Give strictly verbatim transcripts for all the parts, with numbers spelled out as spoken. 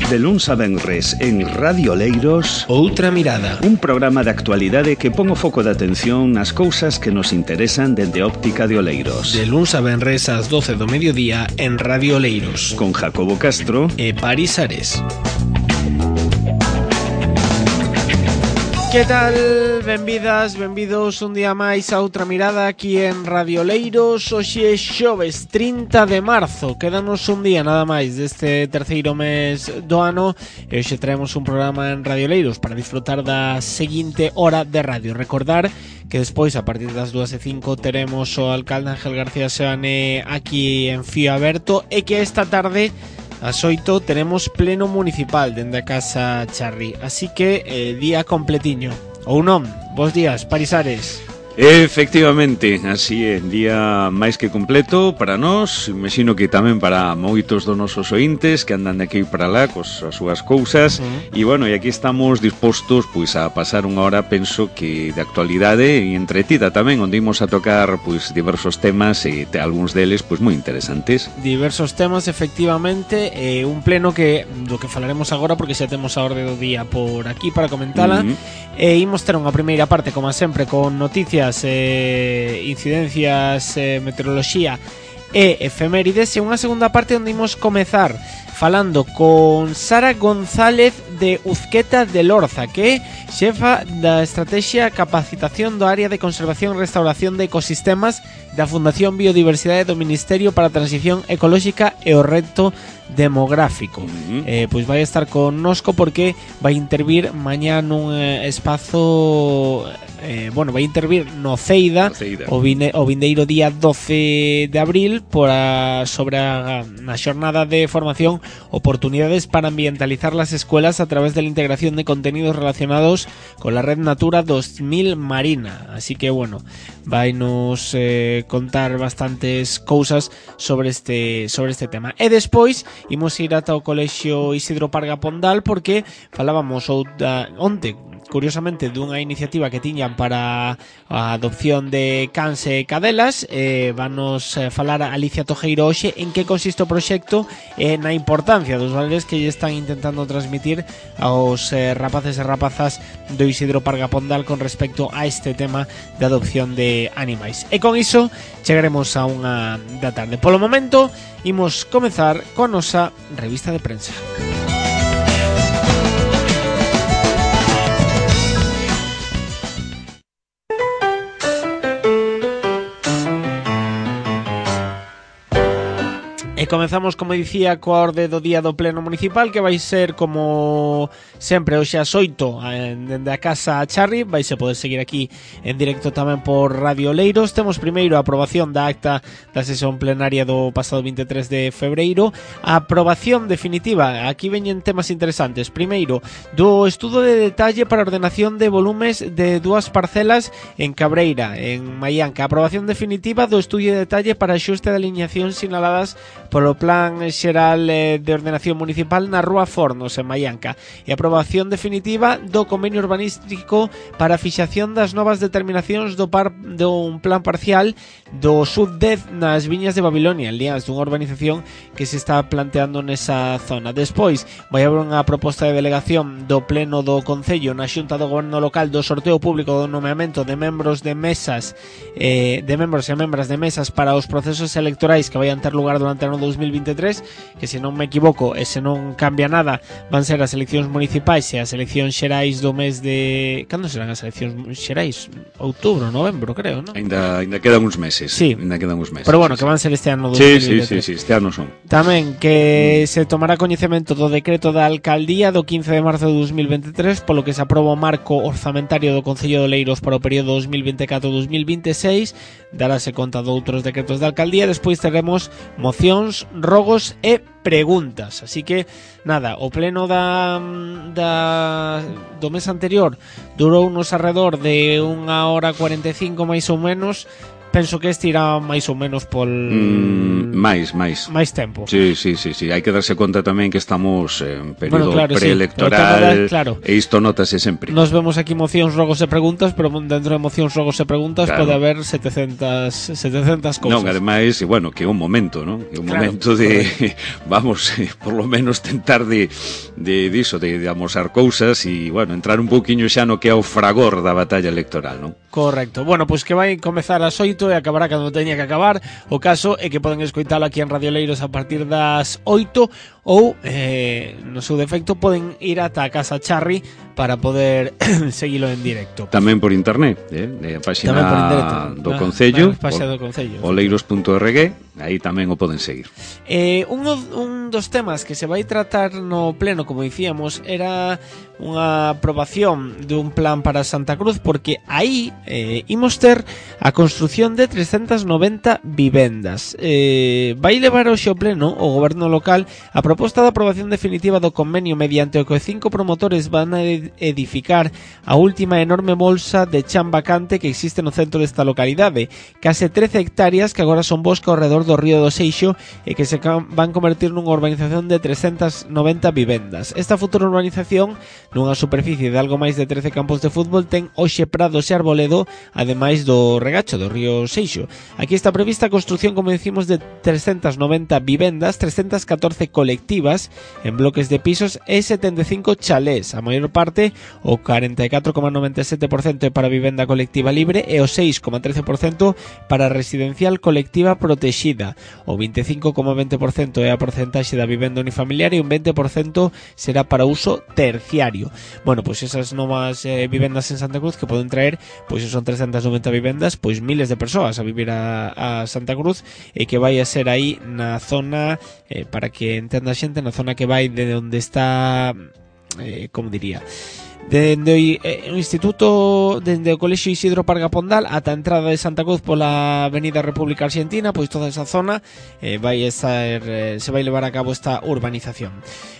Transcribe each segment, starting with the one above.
De luns a venres en Radio Oleiros, Outra Mirada, un programa de actualidade que pon o foco de atención nas cousas que nos interesan dende a óptica de Oleiros. De luns a venres ás doce do mediodía en Radio Oleiros, con Jacobo Castro e Paris Ares. Que tal? Benvidas, benvidos un día máis a Outra Mirada aquí en Radio Oleiros. Hoxe é xoves trinta de marzo. Quédanos un día nada máis deste terceiro mes do ano e hoxe traemos un programa en Radio Oleiros para disfrutar da seguinte hora de radio. Recordar que despois, a partir das dúas e cinco, teremos o alcalde Ángel García Seoane aquí en Fío Aberto e que esta tarde ás oito tenemos pleno municipal dende a Casa Charri. Así que eh, día completiño. Ou non, bos días, Paris Ares. Efectivamente, así é, día máis que completo para nós, imagino que tamén para moitos dos nosos ointes que andan de aquí para lá cos as súas cousas. Uh-huh. E bueno, e aquí estamos dispostos pois a pasar unha hora, penso que de actualidade e entretida tamén, onde imos a tocar pois diversos temas e te, algúns deles pois moi interesantes. Diversos temas, efectivamente, eh, un pleno que do que falaremos agora porque xa temos a orde do día por aquí para comentala. Uh-huh. E imos ter unha primeira parte, como sempre, con noticias, eh, incidencias, eh, meteoroloxía e efemérides, e unha segunda parte onde imos comezar falando con Sara González de Uzqueta de Lorza, que é xefa da Estrategia Capacitación do Área de Conservación e Restauración de Ecosistemas da Fundación Biodiversidade do Ministerio para a Transición Ecolóxica e o Reto Demográfico. Uh-huh. eh, Pois vai estar connosco porque vai intervir mañá nun eh, espazo eh, bueno, vai intervir no Ceida, no Ceida. O, vine, o vindeiro día doce de abril por a, sobre a, na xornada de formación Oportunidades para ambientalizar las escuelas a través de la integración de contenidos relacionados con la red Natura dos mil marina. Así que bueno, vai nos eh, contar bastantes cousas sobre este sobre este tema. E despois imos ir ata o Colexio Isidro Parga Pondal porque falábamos outra, onte curiosamente dunha iniciativa que tiñan para a adopción de cans e cadelas. eh, Vanos falar a Alicia Tojeiro hoxe en que consiste o proxecto e na importancia dos valores que lle están intentando transmitir aos eh, rapaces e rapazas do Isidro Parga Pondal con respecto a este tema de adopción de animais. E con iso chegaremos a unha da tarde. Polo momento imos comezar con a nosa revista de prensa. E comezamos, como dicía, coa orde do día do pleno municipal, que vai ser como sempre hoxe ás oito dende a Casa Charri. Vais a poder seguir aquí en directo tamén por Radio Oleiros. Temos primeiro a aprobación da acta da sesión plenaria do pasado vinte e tres de febreiro. A aprobación definitiva, aquí veñen temas interesantes. Primeiro, do estudo de detalle para a ordenación de volumes de dúas parcelas en Cabreira, en Maianca. A aprobación definitiva do estudio de detalle para axuste de alineación sinaladas polo Plan Xeral de Ordenación Municipal na Rúa Fornos, en Maianca. E a aprobación definitiva do convenio urbanístico para a fixación das novas determinacións do par dun plan parcial do sub dez nas Viñas de Babilonia, en Lians, dunha urbanización que se está planteando nesa zona. Despois, vai haber unha proposta de delegación do Pleno do Concello na Xunta do Goberno Local do sorteo público do nomeamento de membros de mesas eh, de membros e membras de mesas para os procesos electorais que vayan ter lugar durante o ano dos mil vinte e tres, que se non me equivoco e se non cambia nada van ser as eleccións municipais e as eleccións xerais do mes de... Cando serán as eleccións xerais? Outubro, novembro, creo, non? Ainda, ainda quedan uns meses. Sí. Ainda quedan uns meses. Pero bueno, sí, que van ser este ano dos sí, mil vinte e tres. Sí, sí, sí, este ano son. Tamén que mm. se tomará coñecemento do decreto da alcaldía do quince de marzo de dos mil vinte e tres, polo que se aproba o marco orzamentario do Concello de Oleiros para o período dos mil vinte e catro a dos mil vinte e seis. Darase conta de outros decretos da alcaldía. Despois teremos mocións, rogos e preguntas. Así que, nada, o pleno da, da do mes anterior durou unos alrededor de unha hora cuarenta e cinco máis ou menos. Penso que este irá máis ou menos pol... Mm, máis, máis. máis tempo. Sí, sí, sí, sí, hai que darse conta tamén que estamos en período bueno, claro, preelectoral, sí, claro. e isto notase sempre. Nos vemos aquí mocións, rogos e preguntas, pero dentro de mocións, rogos e preguntas claro. pode haber setecentas, setecentas cousas. Non, ademais, bueno, que é un momento, non? Que é un claro, momento de, vamos, por lo menos tentar de, de, de iso, de, de amosar cousas e, bueno, entrar un pouquiño xa no que é o fragor da batalla electoral, non? Correcto. Bueno, pois pues que vai comezar ás oito e acabará cando teña que acabar. O caso é que poden escoitalo aquí en Radio Leiros a partir das oito ou, eh, no seu defecto, poden ir ata a Casa Charri para poder seguilo en directo. Tamén por internet, eh? a página do ah, Concello, do Concello, oleiros punto org, aí tamén o poden seguir. Eh, un, un dos temas que se vai tratar no pleno, como dicíamos, era unha aprobación dun plan para Santa Cruz, porque aí eh, imos ter a construción de trescentas noventa vivendas. Eh, vai levar hoxe o pleno o goberno local a proposta de aprobación definitiva do convenio mediante o que cinco promotores van a edificar a última enorme bolsa de chan vacante que existe no centro desta localidade, case trece hectáreas que agora son bosque ao redor do río do Seixo e que se van convertir nunha urbanización de trescentas noventa vivendas. Esta futura urbanización, nunha superficie de algo máis de trece campos de fútbol, ten hoxe prados e arboledo, ademais do regacho do río Seixo. Aquí está prevista a construción, como decimos, de trescentas noventa vivendas, trescentas catorce colectivas en bloques de pisos e setenta e cinco chalés. A maior parte, o cuarenta e catro coma noventa e sete por cento é para vivenda colectiva libre e o seis coma trece por cento para residencial colectiva protexida. O vinte e cinco coma vinte por cento é a porcentaxe da vivenda unifamiliar e un vinte por cento será para uso terciario. Bueno, pois pues esas novas eh, vivendas en Santa Cruz que poden traer, pois pues son trescentas noventa vivendas, pois pues miles de persoas a vivir a, a Santa Cruz, e que vai a ser aí na zona, eh, para que entenda a xente, na zona que vai de onde está, eh, como diría, dende eh, o Instituto, dende o Colexio Isidro Parga Pondal ata a entrada de Santa Cruz pola Avenida República Argentina, pois toda esa zona eh, vai estar, eh, se vai levar a cabo esta urbanización.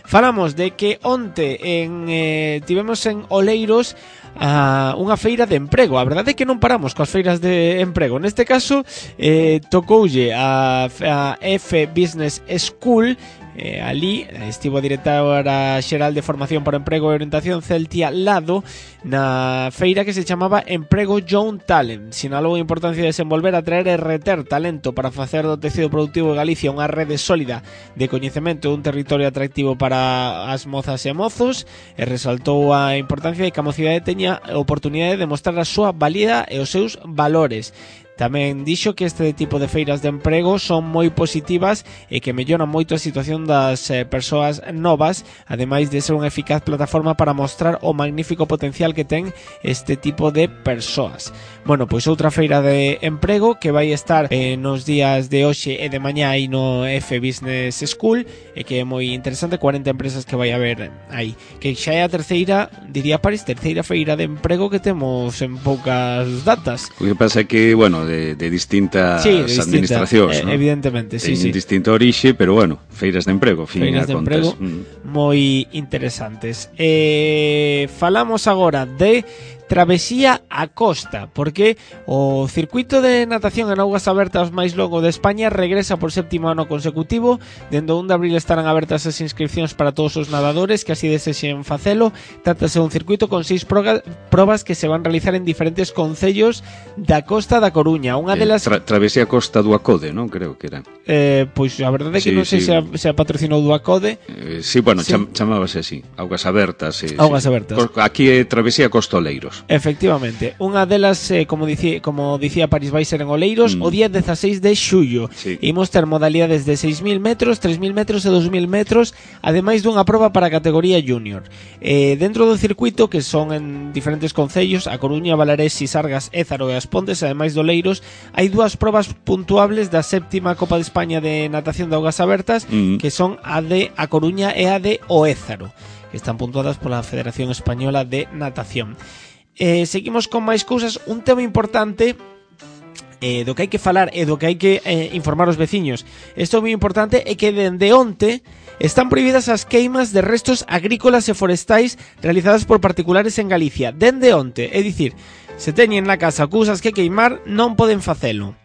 Falamos de que onte en, eh, tivemos en Oleiros a unha feira de emprego. A verdade é que non paramos coas feiras de emprego. Neste caso eh, tocoulle a, a F Business School. Eh, ali estivo a directora xeral de Formación para Emprego e Orientación, Celtia Lado, na feira que se chamaba Emprego Young Talent. Sinalou a importancia de desenvolver, atraer e reter talento para facer do tecido productivo de Galicia unha rede sólida de coñecemento dun territorio atractivo para as mozas e mozos, e resaltou a importancia de que a mocidade teña a oportunidade de mostrar a súa valía e os seus valores. Tamén dixo que este tipo de feiras de emprego son moi positivas e que melloran moito a situación das eh, persoas novas, ademais de ser unha eficaz plataforma para mostrar o magnífico potencial que ten este tipo de persoas. Bueno, pois outra feira de emprego que vai estar eh, nos días de hoxe e de mañá aí no F Business School, e que é moi interesante, cuarenta empresas que vai haber aí, que xa é a terceira, diría París, terceira feira de emprego que temos en poucas datas. O que pasa é que, bueno, de, de distintas sí, de distinta, administracións, eh, ¿no? Evidentemente, sí, sí. Distinta orixe, pero bueno, feiras de emprego, fin, feiras de contas. emprego mm. moi interesantes. Eh, falamos agora de Travesía a Costa, porque o circuito de natación en augas abertas máis longo de España regresa por séptimo ano consecutivo. Dende o un de abril estarán abertas as inscripcións para todos os nadadores que así desexen facelo. Trátase de un circuito con seis probas que se van realizar en diferentes concellos da Costa da Coruña. Unha eh, delas tra Travesía a Costa do Acode, non? Creo que era. Eh, pois a verdade é que sí, non sei sí. se, a, se a patrocinou do Acode. Eh, sí, bueno, sí. Cham chamábase así, augas abertas. Eh, augas sí. abertas. Aquí é Travesía a Costa Oleiros. Efectivamente, unha delas, eh, como, dicía, como dicía París, vai ser en Oleiros mm. o día dezasseis de xullo. Sí. Imos ter modalidades de seis mil metros, tres mil metros e dos mil metros, ademais dunha proba para a categoría junior. Eh, dentro do circuito, que son en diferentes concellos, a Coruña, Valarés, Sisargas, Ézaro e As Pontes, ademais de Oleiros, hai dúas probas puntuables da séptima Copa de España de natación de augas abertas, mm. que son a de A Coruña e a de O Ézaro, que están puntuadas pola Federación Española de Natación. Eh, seguimos con máis cousas. Un tema importante eh, do que hai que falar e do que hai que eh, informar os veciños. Isto é moi importante, é que dende onte están prohibidas as queimas de restos agrícolas e forestais realizadas por particulares en Galicia. Dende onte, é dicir, se teñen na casa cousas que queimar, non poden facelo.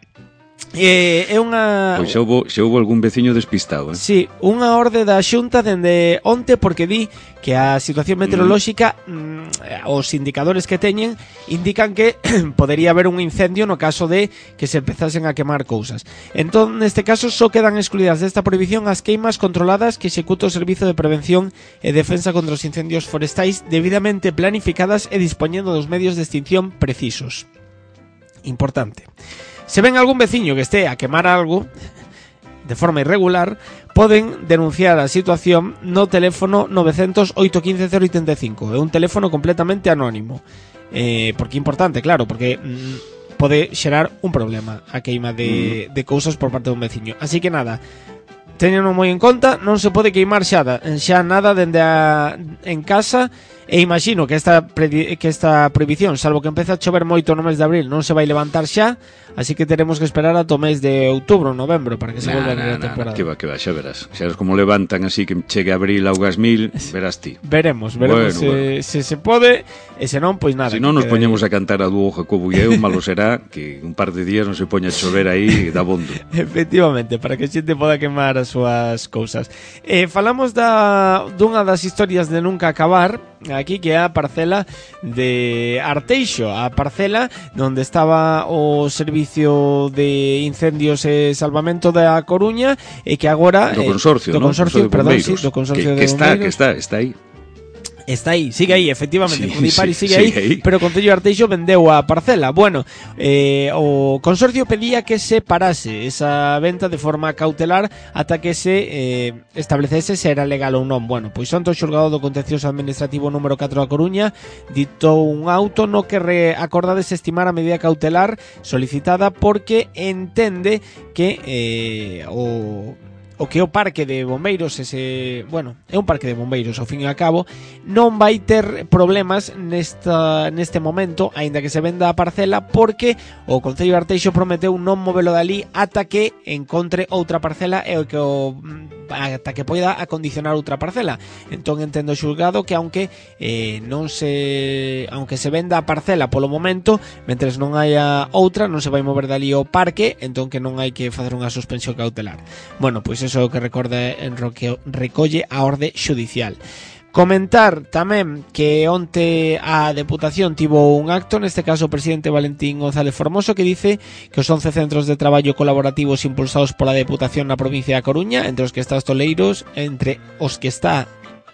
Eh, é unha... Pois xa houve, xa houve algún veciño despistado, eh? Sí, unha orde da Xunta dende onte porque di que a situación meteorolóxica mm, os indicadores que teñen indican que podería haber un incendio no caso de que se empezasen a quemar cousas. Entón, neste caso, só quedan excluídas desta prohibición as queimas controladas que executa o Servizo de Prevención e Defensa contra os Incendios Forestais debidamente planificadas e dispoñendo dos medios de extinción precisos. Importante. Se ven algún veciño que este a quemar algo de forma irregular, poden denunciar a situación no teléfono nove cero cero, oito uno cinco, cero oito cinco. É un teléfono completamente anónimo. Eh, porque é importante, claro, porque mm, pode xerar un problema a queima de, de cousas por parte dun veciño. Así que nada, teñeno moi en conta, non se pode queimar xa, xa nada dende a, en casa. E imagino que esta, que esta prohibición, salvo que empece a chover moito no mes de abril, non se vai levantar xa, así que teremos que esperar ata o mes de outubro, novembro, para que se nah, volva nah, a a temporada. Nah, que va, que va, xa verás. Xa verás como levantan así que chegue abril augas mil, verás ti. Veremos, veremos bueno, se, bueno. se se pode, e se non, pois nada. Se non nos poñemos a cantar a dúo Jacobo e eu, malo será que un par de días non se poña a chover aí da bondo. Efectivamente, para que a xente poda quemar as súas cousas. Eh, falamos da dunha das historias de nunca acabar, aquí que é a parcela de Arteixo, a parcela onde estaba o Servicio de Incendios e Salvamento da Coruña e que agora do consorcio, eh, do ¿no? consorcio, perdón, sí, do que, consorcio que de está, bombeiros. que está, está aí. Está aí, sigue aí, efectivamente, sí, Judipari sí, sigue aí, aí, pero o Concello de Arteixo vendeu a parcela. Bueno, eh, o consorcio pedía que se parase esa venta de forma cautelar ata que se eh, establecese se era legal ou non. Bueno, pois onte o xulgado do Contencioso Administrativo número catro da Coruña ditou un auto no que re acorda desestimar a medida cautelar solicitada porque entende que eh, o... o que o parque de bombeiros ese, bueno, é un parque de bombeiros ao fin e ao cabo, non vai ter problemas nesta neste momento, aínda que se venda a parcela, porque o Concello de Arteixo prometeu non movelo dali ata que encontre outra parcela e que o ata que poida acondicionar outra parcela. Entón entendo xulgado que aunque eh, non se aunque se venda a parcela polo momento, mentres non haya outra, non se vai mover dali o parque, entón que non hai que facer unha suspensión cautelar. Bueno, pois eso que recorda en que recolle a orde xudicial. Comentar tamén que onte a Deputación tivo un acto, neste caso o presidente Valentín González Formoso, que dice que os once centros de traballo colaborativos impulsados pola Deputación na provincia da Coruña, entre os que está os Toleiros, entre os que está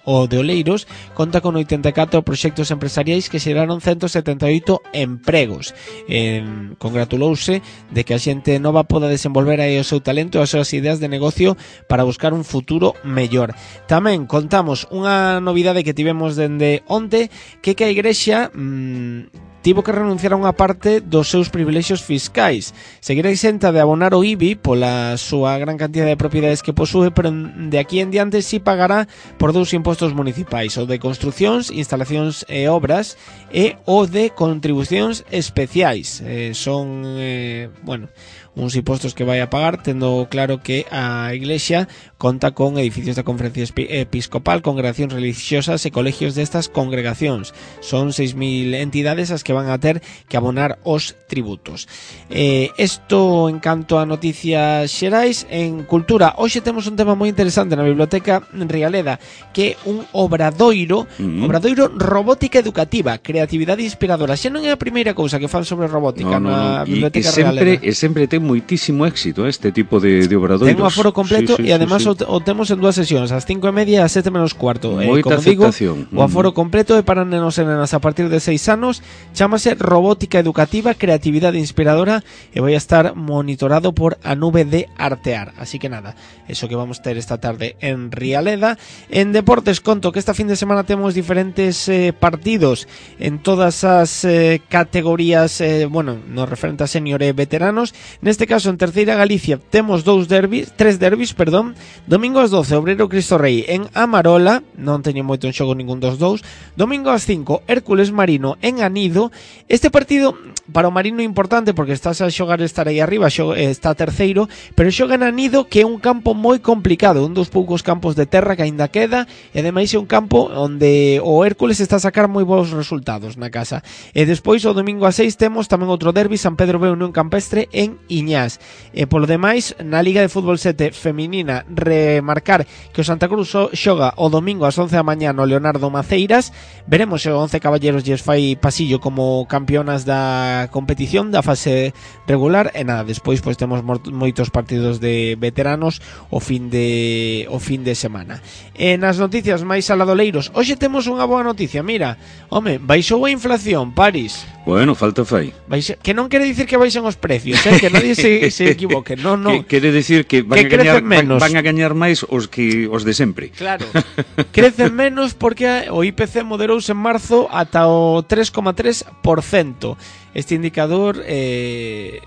o de Oleiros, conta con oitenta e catro proxectos empresariais que xeraron ciento setenta e oito empregos. Eh, congratulouse de que a xente nova poda desenvolver aí o seu talento e as súas ideas de negocio para buscar un futuro mellor. Tamén contamos unha novidade que tivemos dende onte, que que a Igrexa mmm, tivo que renunciar a unha parte dos seus privilexios fiscais. Seguirá exenta de abonar o I B I pola súa gran cantidad de propiedades que posúe, pero de aquí en diante sí pagará por dous impostos municipais, o de construcións, instalacións e obras e o de contribucións especiais. Eh, son, eh, bueno, uns impostos que vai a pagar, tendo claro que a Iglesia conta con edificios da Conferencia Episcopal, congregacións religiosas e colegios destas congregacións. Son seis mil entidades as que van a ter que abonar os tributos. Eh, esto en canto a noticias xerais. En cultura, hoxe temos un tema moi interesante na Biblioteca Rialeda, que é un obradoiro, mm-hmm. obradoiro robótica educativa, creatividade inspiradora. Xa non é a primeira cousa que fan sobre robótica no, no, na no. Biblioteca e, e sempre, Rialeda. E sempre ten moitísimo éxito este tipo de, de obradoiros. Ten un aforo completo sí, sí, e además sí, sí. O, o temos en dúas sesións, ás cinco e media e ás sete menos cuarto. Moita eh, como digo, aceptación. O aforo completo é para nenos e nenas a partir de seis anos, chámase Robótica Educativa, Creatividade Inspiradora e vai a estar monitorado por a nube de Artear. Así que nada, eso que vamos ter esta tarde en Rialeda. En deportes conto que esta fin de semana temos diferentes eh, partidos en todas as eh, categorías, eh, bueno, no referente a senior e veteranos. Neste caso en Terceira Galicia temos dous derbis, tres derbis, perdón. Domingo ás doce, Obrero Cristo Rei en Amarola, non teño moito en xogo ningún dos dous. Domingo ás cinco, Hércules Marino en Anido. Este partido para o Marino é importante porque estás a xogar estar aí arriba, xoga, está terceiro, pero xoga en Anido, que é un campo moi complicado, un dos poucos campos de terra que aínda queda, e ademais é un campo onde o Hércules está a sacar moi bons resultados na casa. E despois o domingo ás seis temos tamén outro derbi, San Pedro B Unión Campestre en Iñás. E polo demais, na Liga de Fútbol sete feminina, remarcar que o Santa Cruz xoga o domingo ás once da mañá no Leonardo Maceiras. Veremos se o once Caballeros lles fai pasillo como campeonas da competición da fase regular. E nada, despois pois temos moitos partidos de veteranos o fin de o fin de semana. E nas noticias máis aladoleiros, hoxe temos unha boa noticia. Mira, home, baixou a inflación, Paris. Bueno, falta fai. Baixe, que non quere dicir que baixen os precios, eh? Que nadie se, se equivoque. Non, non. Que, quere dicir que van, que a gañar, menos. Van, van a gañar máis os que os de sempre. Claro. Crecen menos porque o I P C moderouse en marzo ata o tres coma tres por cento. Este indicador eh,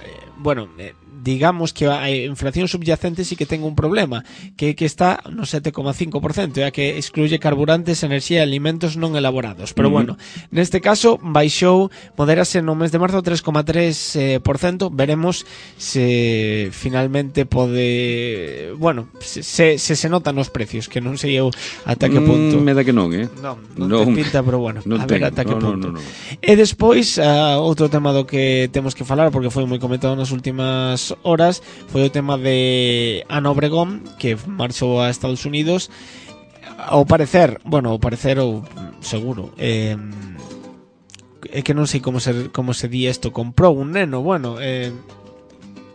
eh, bueno, eh, digamos que a inflación subyacente sí que ten un problema, que que está no sete coma cinco por cento, ya que excluye carburantes, enerxía e alimentos non elaborados. Pero uh-huh. bueno, neste caso baixou, moderase no mes de marzo tres coma tres por cento. Veremos se finalmente pode, bueno, se se, se, se notan os precios, que non sei eu ata que punto. Mm, me da que non, eh? Non, non, non te pinta, pero bueno, a ver ata que no, punto. No, no, no. E despois, uh, outro tema do que temos que falar, porque foi moi comentado nas últimas horas, foi o tema de Ana Obregón, que marchou a Estados Unidos. Ao parecer, bueno, ao parecer ou seguro, eh, é que non sei como se como se di isto, comprou un neno, bueno, eh,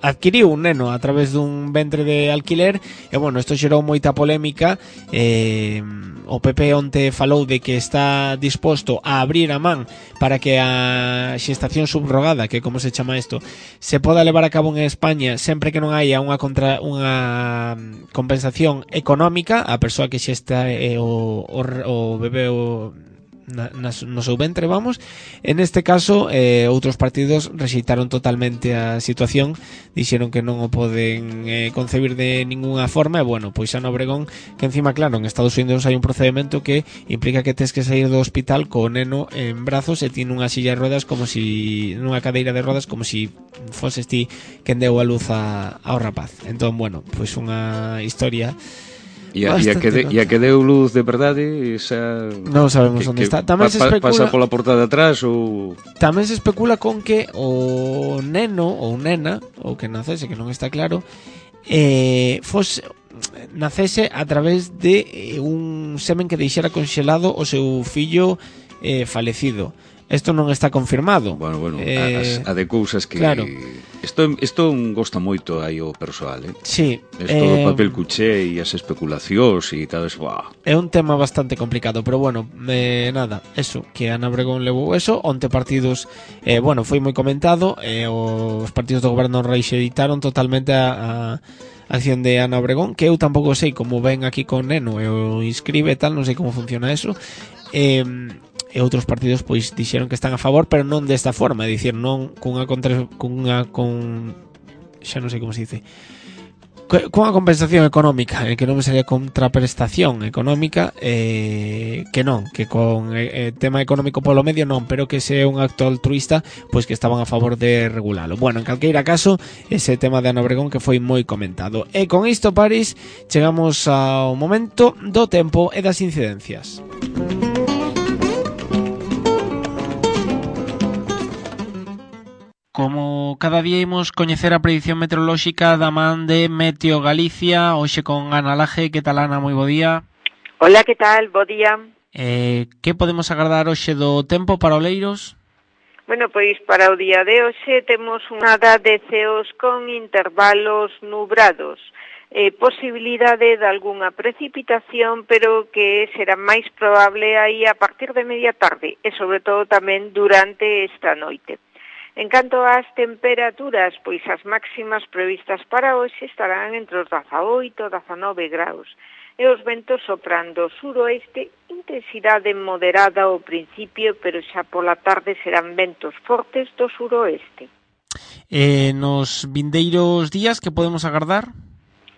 adquiriu un neno a través dun ventre de alquiler. E bueno, isto xerou moita polémica. eh, o P P onte falou de que está disposto a abrir a man para que a xestación subrogada, que como se chama isto, se poda levar a cabo en España sempre que non haya unha contra unha compensación económica a persoa que xesta eh, o, o, o bebé o Na, no seu ventre, vamos. En este caso, eh, outros partidos rexeitaron totalmente a situación, dixeron que non o poden eh, concebir de ninguna forma. E bueno, pois Ana Obregón, que encima, claro, en Estados Unidos hai un procedimento que implica que tes que sair do hospital co neno en brazos e ti nunha silla de rodas, como si nunha cadeira de rodas, como si foses ti quen deu a luz a, ao rapaz. Entón, bueno, pois unha historia. E a, a, que de, e a que deu luz de verdade, esa non sabemos que, onde que está. Tamén pa, se especula, pasa pola porta de atrás ou tamén se especula con que o neno ou nena, ou que nacese, que non está claro, eh, fose nacese a través de un semen que deixara conxelado o seu fillo eh, falecido. Isto non está confirmado. Bueno, bueno, eh, a, a de cousas que claro. Isto, isto gosta moito aí o persoal, eh? Sí. Isto do eh, papel cuché e as especulacións e tal, buah. É un tema bastante complicado, pero bueno, eh, nada, eso, que Ana Obregón levou eso, onte partidos, eh, bueno, foi moi comentado, eh, os partidos do goberno reixeditaron totalmente a, a acción de Ana Obregón, que eu tampouco sei como ven aquí con neno e o inscribe e tal, non sei como funciona eso. Eh, e outros partidos pois dixeron que están a favor, pero non desta forma, é dicir, non cunha contra, cunha con xa non sei como se dice, cunha compensación económica, eh, que non me sería contraprestación económica, eh, que non, que con eh, tema económico polo medio non, pero que se é un acto altruista, pois que estaban a favor de regulalo. Bueno, en calqueira caso, ese tema de Ana Obregón que foi moi comentado. E con isto, Paris, chegamos ao momento do tempo e das incidencias. Como cada día imos coñecer a predición meteorolóxica da man de Meteo Galicia, hoxe con Ana Laje. Que tal, Ana? Moi bo día. Hola, que tal? Bo día. Eh, que podemos agardar hoxe do tempo para Oleiros? Bueno, pois para o día de hoxe temos unha da de ceos con intervalos nubrados. Eh, posibilidade de algunha precipitación, pero que será máis probable aí a partir de media tarde e sobre todo tamén durante esta noite. En canto ás temperaturas, pois as máximas previstas para hoxe estarán entre os dezaoito e dezanove graus. E os ventos soprando suroeste, intensidade moderada ao principio, pero xa pola tarde serán ventos fortes do suroeste. Eh, nos vindeiros días, que podemos agardar?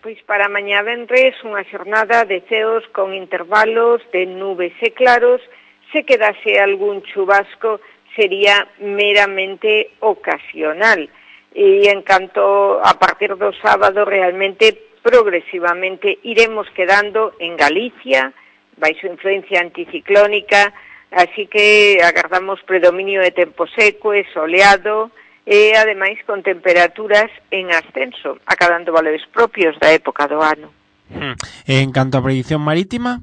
Pois para mañá venres unha xornada de ceos con intervalos de nubes e claros. Se quedase algún chubasco, sería meramente ocasional. E en canto a partir do sábado, realmente progresivamente iremos quedando en Galicia, baixo influencia anticiclónica, así que agardamos predominio de tempo seco e soleado, e ademais con temperaturas en ascenso, acadando valores propios da época do ano. Hmm. En canto a predición marítima?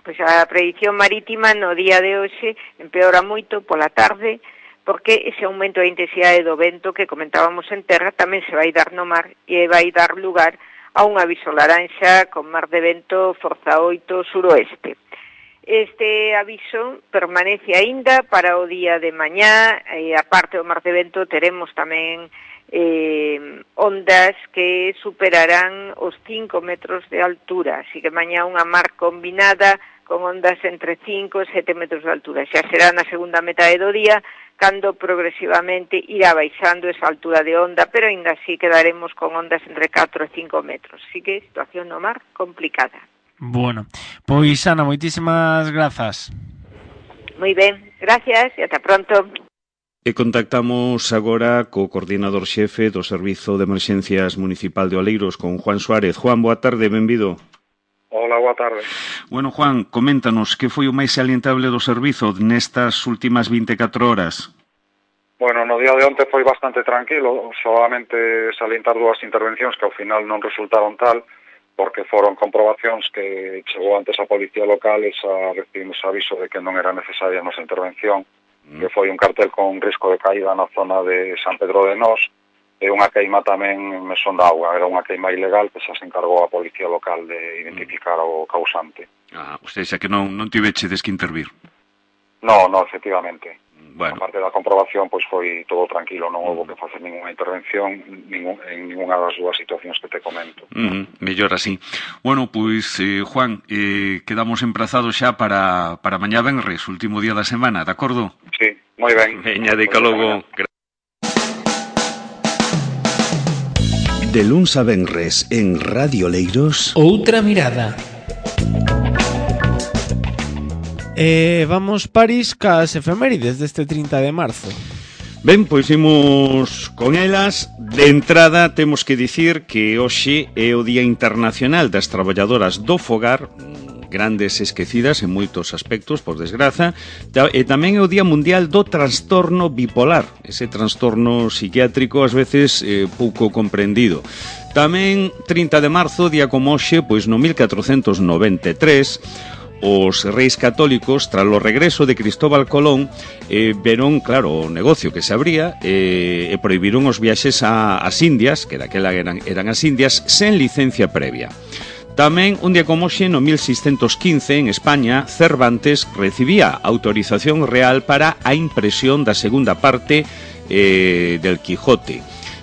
Pois a predición marítima no día de hoxe empeora moito pola tarde, porque ese aumento da intensidade do vento que comentábamos en terra tamén se vai dar no mar e vai dar lugar a un aviso laranxa con mar de vento forza oito suroeste. Este aviso permanece aínda para o día de mañá, e a parte do mar de vento teremos tamén eh, ondas que superarán os cinco metros de altura, así que mañá unha mar combinada con ondas entre cinco e sete metros de altura. Xa será na segunda metade do día, cando progresivamente irá baixando esa altura de onda, pero ainda así quedaremos con ondas entre catro e cinco metros. Así que situación no mar complicada. Bueno, pois Ana, moitísimas grazas. Moi ben, gracias e ata pronto. E contactamos agora co coordinador xefe do Servizo de Emerxencias Municipal de Oleiros, con Juan Suárez. Juan, boa tarde, benvido. Hola, boa tarde. Bueno, Juan, coméntanos que foi o máis salientable do servizo nestas últimas vinte e catro horas. Bueno, no día de onte foi bastante tranquilo, solamente salientar dúas intervencións que ao final non resultaron tal, porque foron comprobacións que chegou antes a Policía Local e xa recibimos aviso de que non era necesaria a nosa intervención, mm. que foi un cartel con risco de caída na zona de San Pedro de Nós e unha queima tamén en Mesón da Auga. Era unha queima ilegal que xa se encargou a Policía Local de identificar mm. o causante. Ah, ou seja, que non, non tivechedes que intervir. No, no, efectivamente. Bueno. A parte da comprobación, pois foi todo tranquilo, non houve que facer ninguna intervención ningún, en ninguna das dúas situacións que te comento. Uh -huh, mellor así. Bueno, pois, eh, Juan, eh, quedamos emprazados xa para, para mañá venres, último día da semana, de acordo? Sí, moi ben. Veña, de calogo. De luns a venres en Radio Oleiros. Outra mirada. Eh, vamos, París, cas efemérides deste trinta de marzo. Ben, pois imos con elas. De entrada temos que dicir que hoxe é o Día Internacional das Traballadoras do Fogar, grandes esquecidas en moitos aspectos, por desgraza, e tamén é o Día Mundial do Trastorno Bipolar, ese trastorno psiquiátrico ás veces eh, pouco comprendido. Tamén trinta de marzo, día como hoxe, pois no mil catrocentos noventa e tres, os reis católicos, tras o regreso de Cristóbal Colón, eh, veron, claro, o negocio que se abría eh, e prohibiron os viaxes a, as Indias, que daquela eran, eran as Indias, sen licencia previa. Tamén, un día como hoxe, no mil seiscentos quince, en España, Cervantes recibía autorización real para a impresión da segunda parte eh, del Quijote.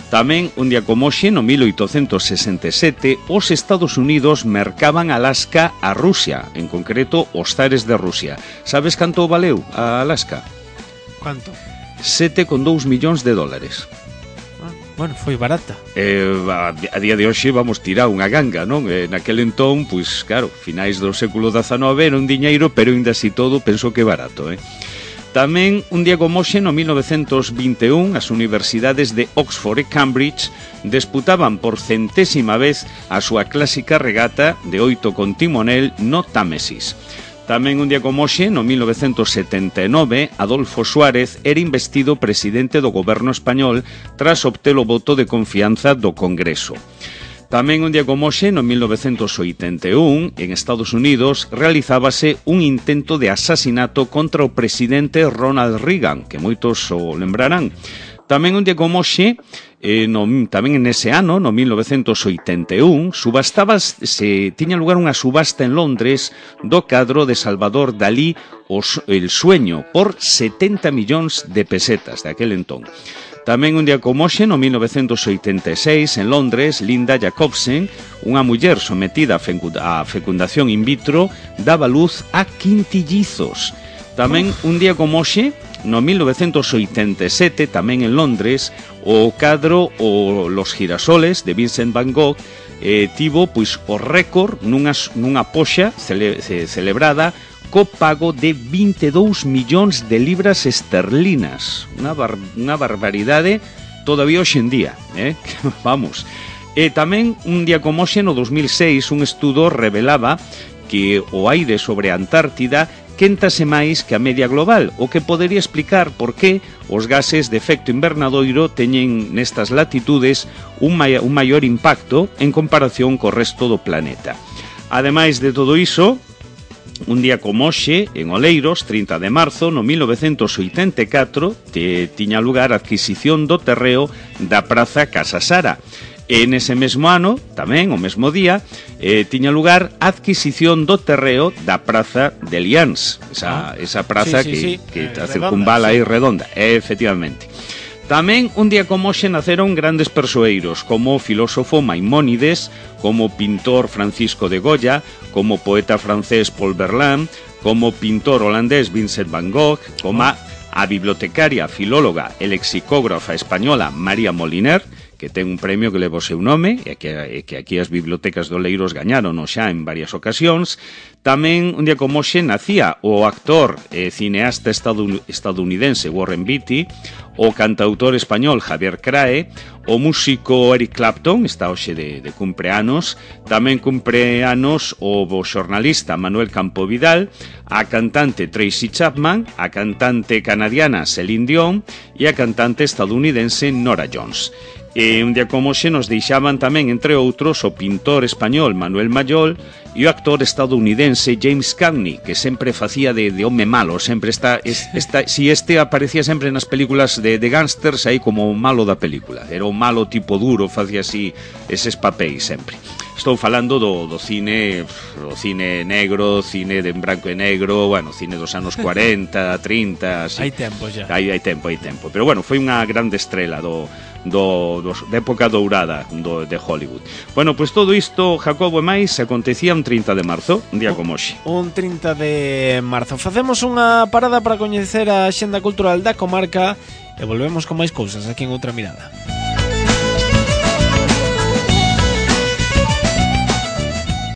Tamén, un día como hoxe, no mil oitocentos sesenta e sete, os Estados Unidos mercaban Alaska a Rusia, en concreto os zares de Rusia. Sabes canto valeu a Alaska? Canto? sete con dous millóns de dólares. Ah, bueno, foi barata. Eh, a, a día de hoxe vamos tirar unha ganga, non? Eh, naquel entón, pois, claro, finais do século dezanove era un diñeiro, pero ainda así todo penso que barato, eh? Tamén, un día como hoxe, no mil novecentos vinte e un, as universidades de Oxford e Cambridge disputaban por centésima vez a súa clásica regata de oito con timonel no Támesis. Tamén, un día como hoxe, no mil novecentos setenta e nove, Adolfo Suárez era investido presidente do goberno español tras obter o voto de confianza do Congreso. Tamén, un día como hoxe, no mil novecentos oitenta e un, en Estados Unidos, realizábase un intento de asasinato contra o presidente Ronald Reagan, que moitos o lembrarán. Tamén, un día como hoxe, eh, no, tamén en ese ano, no mil novecentos oitenta e un, subastabas, se tiña lugar unha subasta en Londres do cadro de Salvador Dalí, os, El Sueño, por setenta millóns de pesetas de aquel entón. Tamén, un día como hoxe, no mil novecentos oitenta e seis, en Londres, Linda Jacobsen, unha muller sometida a fecundación in vitro, daba luz a quintillizos. Tamén, un día como hoxe, no mil novecentos oitenta e sete, tamén en Londres, o cadro o Los Girasoles de Vincent Van Gogh eh, tivo pois o récord nunha, nunha poxa cele, ce, celebrada co pago de vinte e dous millóns de libras esterlinas. Unha, bar, unha barbaridade todavía hoxe en día, eh? Vamos. E tamén, un día como hoxe, no dos mil seis, un estudo revelaba que o aire sobre a Antártida quéntase máis que a media global, o que podería explicar por que os gases de efecto invernadoiro teñen nestas latitudes un, mai un maior impacto en comparación co resto do planeta. Ademais de todo iso, un día como hoxe, en Oleiros, trinta de marzo, no mil novecentos oitenta e catro, te tiña lugar a adquisición do terreo da Praza Casa Sara. E nese mesmo ano, tamén, o mesmo día, eh, tiña lugar a adquisición do terreo da Praza de Lians, esa, esa praza sí, sí, que, sí. que Eh, a redonda, circunvala sí. aí redonda, efectivamente. Tamén un día como hoxe naceron grandes persoeiros como o filósofo Maimónides, como o pintor Francisco de Goya, como o poeta francés Paul Verlaine, como o pintor holandés Vincent van Gogh, como a, a bibliotecaria, filóloga e lexicógrafa española María Moliner, que ten un premio que leva o seu nome e que, e que aquí as bibliotecas do Leiros gañaron xa en varias ocasións. Tamén un día como hoxe nacía o actor e cineasta estadounidense Warren Beatty, o cantautor español Javier Crae, o músico Eric Clapton, está hoxe de, de cumpleanos, tamén cumpleanos o, o xornalista Manuel Campo Vidal, a cantante Tracy Chapman, a cantante canadiana Celine Dion e a cantante estadounidense Nora Jones. E un día como hoxe nos deixaban tamén, entre outros, o pintor español Manuel Mayol e o actor estadounidense James Cagney, que sempre facía de, de home malo, sempre está, es, está, si este aparecía sempre nas películas de, de gángsters aí como o malo da película, era un malo tipo duro, facía así eses papéis sempre. Estou falando do, do cine, o cine negro, cine de branco e negro, bueno, cine dos anos cuarenta, trinta, así. Hai tempo xa. Hai, hai tempo, hai tempo. Pero bueno, foi unha grande estrela do, do, do, da época dourada do, de Hollywood. Bueno, pois pues todo isto, Jacobo e máis, acontecía un trinta de marzo, un día como hoxe. Un trinta de marzo. Facemos unha parada para coñecer a xenda cultural da comarca e volvemos con máis cousas aquí en Outra Mirada.